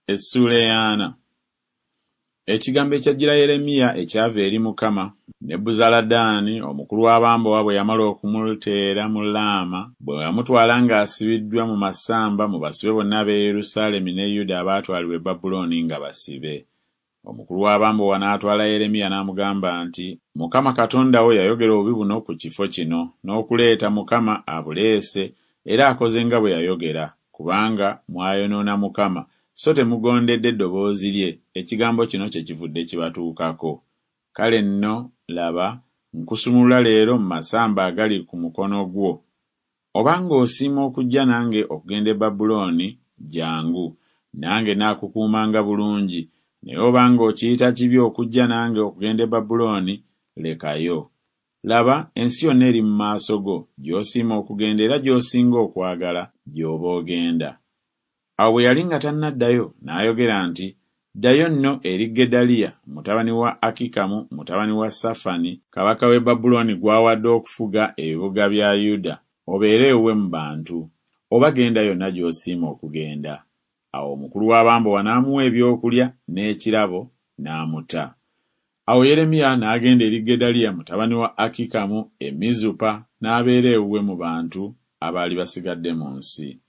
Essuula eyaana. Ekigambo ekyajjira Yeremiya ekyava eri Mukama, Nebuzaladaani omukulu w'abambowa bwe yamala okumuteera mu Laama, bwe yamutwala ng'asibiddwa mu masamba mu basibe bonna ab'e Yerusaalemi ne Yuda abaatwalibwa e Babulooni nga basibe. Omukulu w'abambowa n'atwala Yeremiya n'amugamba nti, Mukama Katonda wo yayogera obubi buno ku kifo kino, n'okuleeta Mukama abuleese, era akoze nga bwe yayogera, kubanga mwayonoona Mukama, so temugondedde ddoboozi lye, ekigambo kino kyekivudde kibatuukako. Kale nno, laba, nkusumulula leero mu masamba agali ku mukono gwo. Obanga osiima okujja nange okugenda e Babulooni, jjangu, nange naakukuumanga bulungi, naye obanga okiyita kibi okujja nange okugenda e Babulooni, lekayo. Laba, ensi yonna eri mu maaso go, gy'osiima okugenda era gy'osinga okwagala, gy'oba ogenda. Awo bwe yali nga tannaddayo, n'ayogera nti, Ddayo nno eri Gedaliya mutabani wa Akikamu mutabani wa Safani, kabaka w'e Babulooni gw'awadde okufuga ebibuga bya Yuda, obeere ewuwe mu bantu, oba genda yonna gy'osiima okugenda. Awo omukulu w'abambowa n'amuwa ebyokulya n'ekirabo, n'amuta. Awo Yeremiya n'agenda eri Gedaliya mutabani wa Akikamu e Mizupa, n'abeera ewuwe mu bantu abaali basigadde mu nsi.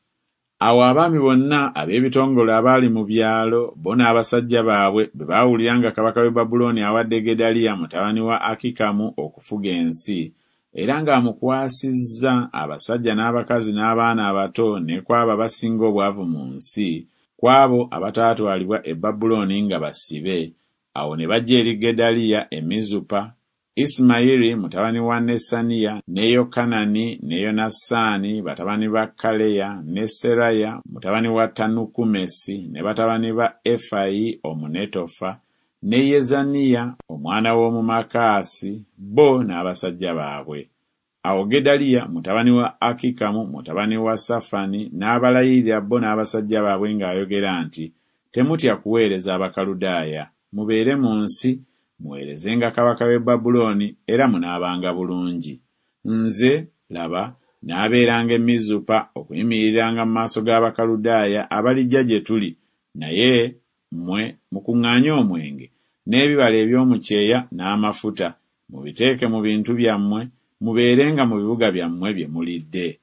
Awo abaami bonna ab'ebitongole abaali mu byalo, bo n'abasajja baabwe bwe baawulira nga kabaka w'e Babulooni awadde Gedaliya mutabani wa Akikamu okufuga ensi, era ng'amukwasizza abasajja n'abakazi n'abaana abato ne ku abo abasinga obwavu mu nsi, ku abo abataatwalibwa e Babulooni nga basibe, awo ne bajja eri Gedaliya e Mizupa, Isimayiri mutabani wa Nesaniya, ne Yokanani ne Yonasaani batabani ba Kaleya, ne Seraya mutabani wa Tanukumesi, ne batabani ba Efayi Omunetofa, ne Yezaniya omwana w'Omumakaasi, bo n'abasajja baabwe. Awo Gedaliya mutabani wa Akikamu mutabani wa Safani n'abalayirira bo n'abasajja baabwe ng'ayogera nti, Temutya kuweereza Abakaludaaya, mubeere mu nsi, muweerezenga kabaka w'e Babulooni, era munaabanga bulungi. Nze, laba, naabeeranga e Mizupa okuyimiriranga mu maaso g'Abakaludaaya abalijja gye tuli, naye mmwe mukuŋŋaanye omwenge n'ebibala eby'omu kyeya n'amafuta, mubiteeke mu bintu byammwe, mubeerenga mu bibuga byammwe bye mulidde.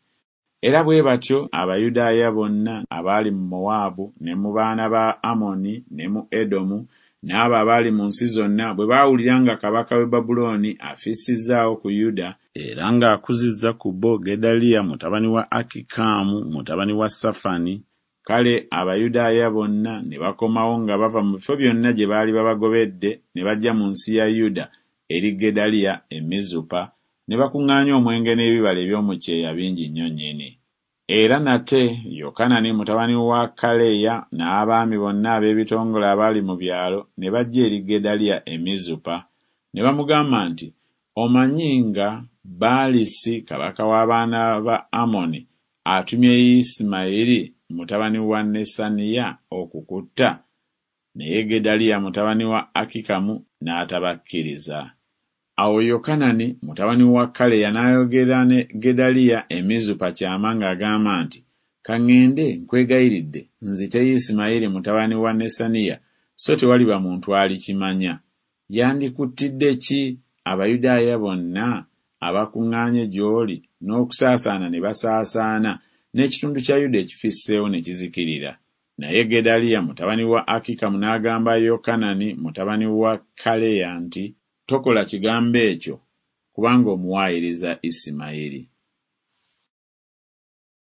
Era bwe batyo Abayudaaya bonna abaali mu Mowaabu ne mu baana ba Amoni ne mu Edomu n'abo abaali mu nsi zonna bwe baawulira nga kabaka w'e Babulooni afissizzaawo ku Yuda, era ng'akuzizza ku bo Gedaliya mutabani wa Akikaamu mutabani wa Safani, kale Abayudaaya bonna ne bakomawo nga bava mu bifo byonna gye baali babagobedde ne bajja mu nsi ya Yuda eri Gedaliya e Mizupa, ne bakuŋŋaanya omwenge n'ebibala eby'omu kyeya bingi nnyo nnyini. Era nate Yokanani mutabani wa Kaleya n'abaami bonna ab'ebitongole abaali mu byalo ne bajja eri Gedaliya e Mizupa, ne bamugamba nti, Omanyi nga Baalisi kabaka w'abaana ba Amoni atumye Isimayiri mutabani wa Nesaniya okukutta? Naye Gedaliya mutabani wa Akikamu n'atabakkiriza. Awo Yokanani mutabani wa Kaleya n'ayogera ne Gedaliya e Mizupa kyama ng'agamba nti, Ka ŋŋende, nkwegayiridde, nzite Isimayiri mutabani wa Nesaniya, so tewaliba muntu alikimanya. Yandikuttidde ki Abayudaaya bonna abakuŋŋaanye gy'oli n'okusaasaana ne basaasaana, n'ekitundu kya Yuda ekifisseewo ne kizikirira? Naye Gedaliya mutabani wa Akikamu n'agamba Yokanani mutabani wa Kaleya nti, Tokola kigambo ekyo, kubanga omuwaayiriza Isimayiri.